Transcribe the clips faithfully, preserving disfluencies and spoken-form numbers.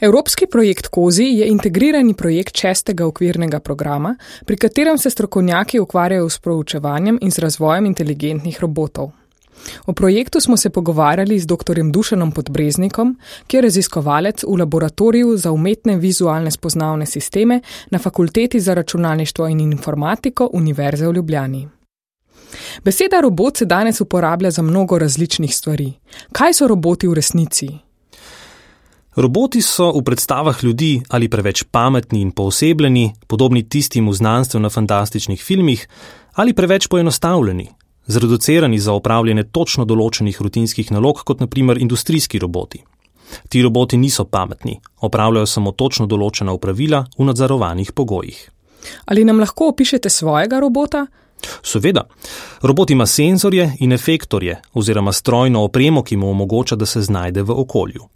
Evropski projekt Kozi je integrirani projekt šestega okvirnega programa, pri katerem se strokovnjaki ukvarjajo s proučevanjem in z razvojem inteligentnih robotov. O projektu smo se pogovarjali z doktorjem Dušanom Podbreznikom, ki je raziskovalec v laboratoriju za umetne vizualne spoznavne sisteme na Fakulteti za računalništvo in informatiko Univerze v Ljubljani. Beseda robot se danes uporablja za mnogo različnih stvari. Kaj so roboti v resnici? Roboti so v predstavah ljudi ali preveč pametni in poosebljeni, podobni tistim v znanstveno-fantastičnih filmih, ali preveč poenostavljeni, zreducirani za opravljanje točno določenih rutinskih nalog, kot na primer industrijski roboti. Ti roboti niso pametni, opravljajo samo točno določena opravila v nadzorovanih pogojih. Ali nam lahko opišete svojega robota? Seveda. Robot ima senzorje in efektorje oziroma strojno opremo, ki mu omogoča, da se znajde v okolju.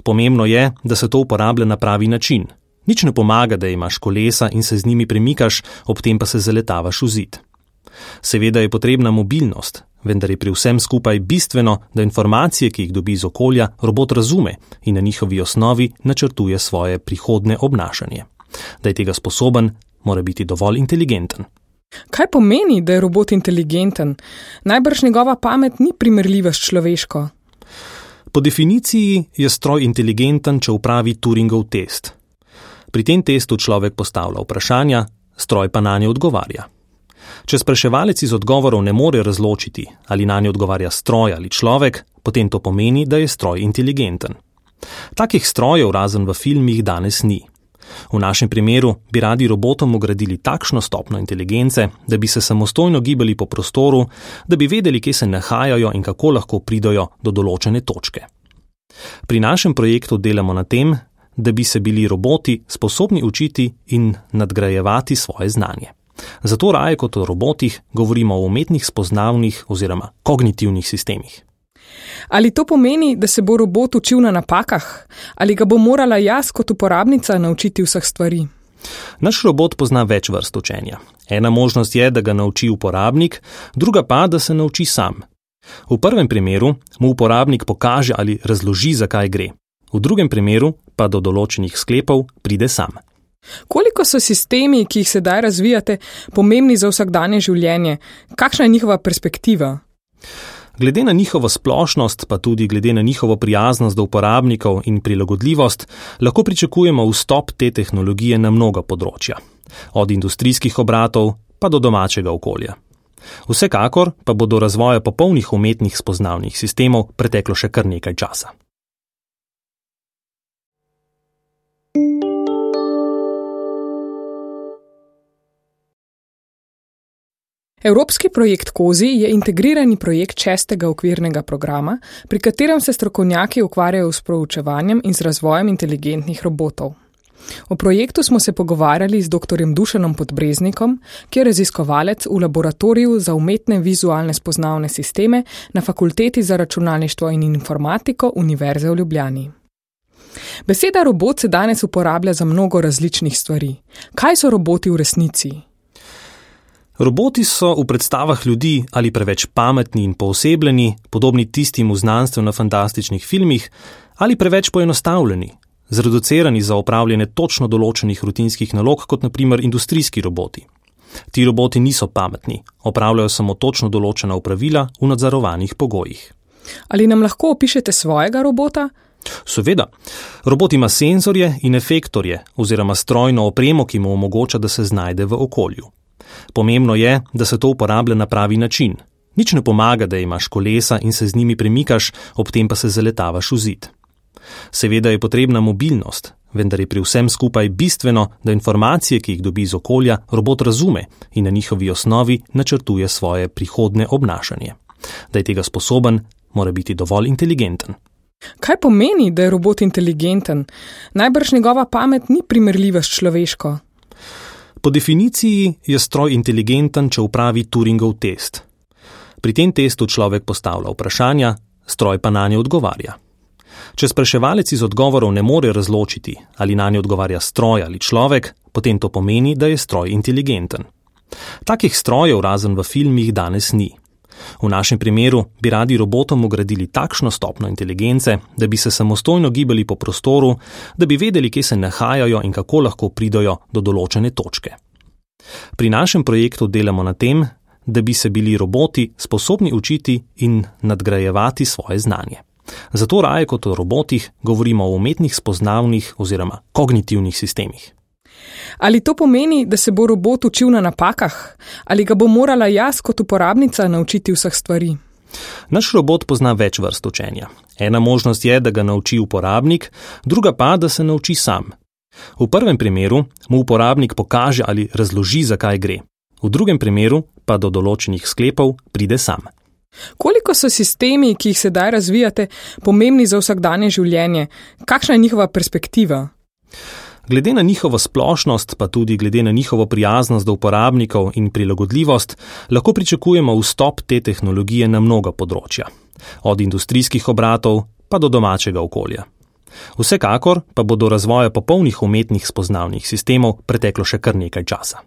Pomembno je, da se to uporablja na pravi način. Nič ne pomaga, da imaš kolesa in se z njimi premikaš, ob tem pa se zaletavaš v zid. Seveda je potrebna mobilnost, vendar je pri vsem skupaj bistveno, da informacije, ki jih dobi iz okolja, robot razume in na njihovi osnovi načrtuje svoje prihodne obnašanje. Da je tega sposoben, mora biti dovolj inteligenten. Kaj pomeni, da je robot inteligenten? Najbrž njegova pamet ni primerljiva s človeško. Po definiciji je stroj inteligenten, če upravi Turingov test. Pri tem testu človek postavlja vprašanja, stroj pa nanje odgovarja. Če spraševalec iz odgovorov ne more razločiti, ali nanje odgovarja stroj ali človek, potem to pomeni, da je stroj inteligenten. Takih strojev razen v filmih danes ni. V našem primeru bi radi robotom vgradili takšno stopnjo inteligence, da bi se samostojno gibali po prostoru, da bi vedeli, kje se nahajajo in kako lahko pridajo do določene točke. Pri našem projektu delamo na tem, da bi se bili roboti sposobni učiti in nadgrajevati svoje znanje. Zato raje kot o robotih govorimo o umetnih spoznavnih oziroma kognitivnih sistemih. Ali to pomeni, da se bo robot učil na napakah? Ali ga bo morala jaz kot uporabnica naučiti vseh stvari? Naš robot pozna več vrst učenja. Ena možnost je, da ga nauči uporabnik, druga pa, da se nauči sam. V prvem primeru mu uporabnik pokaže ali razloži, zakaj gre. V drugem primeru pa do določenih sklepov pride sam. Koliko so sistemi, ki jih sedaj razvijate, pomembni za vsakdanje življenje? Kakšna je njihova perspektiva? Glede na njihovo splošnost, pa tudi glede na njihovo prijaznost do uporabnikov in prilagodljivost, lahko pričakujemo vstop te tehnologije na mnoga področja. Od industrijskih obratov pa do domačega okolja. Vsekakor pa bo do razvoja popolnih umetnih spoznavnih sistemov preteklo še kar nekaj časa. Evropski projekt Kozi je integrirani projekt šestega okvirnega programa, pri katerem se strokovnjaki ukvarjajo s proučevanjem in z razvojem inteligentnih robotov. O projektu smo se pogovarjali z doktorjem Dušanom Podbreznikom, ki je raziskovalec v laboratoriju za umetne vizualne spoznavne sisteme na Fakulteti za računalništvo in informatiko Univerze v Ljubljani. Beseda robot se danes uporablja za mnogo različnih stvari. Kaj so roboti v resnici? Roboti so v predstavah ljudi ali preveč pametni in poosebljeni, podobni tistim v znanstveno-fantastičnih filmih, ali preveč poenostavljeni, zreducirani za opravljanje točno določenih rutinskih nalog, kot na primer industrijski roboti. Ti roboti niso pametni, opravljajo samo točno določena opravila v nadzorovanih pogojih. Ali nam lahko opišete svojega robota? Seveda. Robot ima senzorje in efektorje oziroma strojno opremo, ki mu omogoča, da se znajde v okolju. Pomembno je, da se to uporablja na pravi način. Nič ne pomaga, da imaš kolesa in se z njimi premikaš, ob tem pa se zaletavaš v zid. Seveda je potrebna mobilnost, vendar je pri vsem skupaj bistveno, da informacije, ki jih dobi iz okolja, robot razume in na njihovi osnovi načrtuje svoje prihodne obnašanje. Da je tega sposoben, mora biti dovolj inteligenten. Kaj pomeni, da je robot inteligenten? Najbrž njegova pamet ni primerljiva s človeško. Po definiciji je stroj inteligenten, če upravi Turingov test. Pri tem testu človek postavlja vprašanja, stroj pa nanje odgovarja. Če spraševalec iz odgovorov ne more razločiti, ali nanje odgovarja stroj ali človek, potem to pomeni, da je stroj inteligenten. Takih strojev razen v filmih danes ni. V našem primeru bi radi robotom vgradili takšno stopnjo inteligence, da bi se samostojno gibali po prostoru, da bi vedeli, kje se nahajajo in kako lahko pridajo do določene točke. Pri našem projektu delamo na tem, da bi se bili roboti sposobni učiti in nadgrajevati svoje znanje. Zato raje kot o robotih govorimo o umetnih spoznavnih oziroma kognitivnih sistemih. Ali to pomeni, da se bo robot učil na napakah? Ali ga bo morala jaz kot uporabnica naučiti vseh stvari? Naš robot pozna več vrst učenja. Ena možnost je, da ga nauči uporabnik, druga pa, da se nauči sam. V prvem primeru mu uporabnik pokaže ali razloži, zakaj gre. V drugem primeru pa do določenih sklepov pride sam. Koliko so sistemi, ki jih sedaj razvijate, pomembni za vsakdanje življenje? Kakšna je njihova perspektiva? Glede na njihovo splošnost, pa tudi glede na njihovo prijaznost do uporabnikov in prilagodljivost, lahko pričakujemo vstop te tehnologije na mnoga področja. Od industrijskih obratov pa do domačega okolja. Vsekakor pa bo do razvoja popolnih umetnih spoznavnih sistemov preteklo še kar nekaj časa.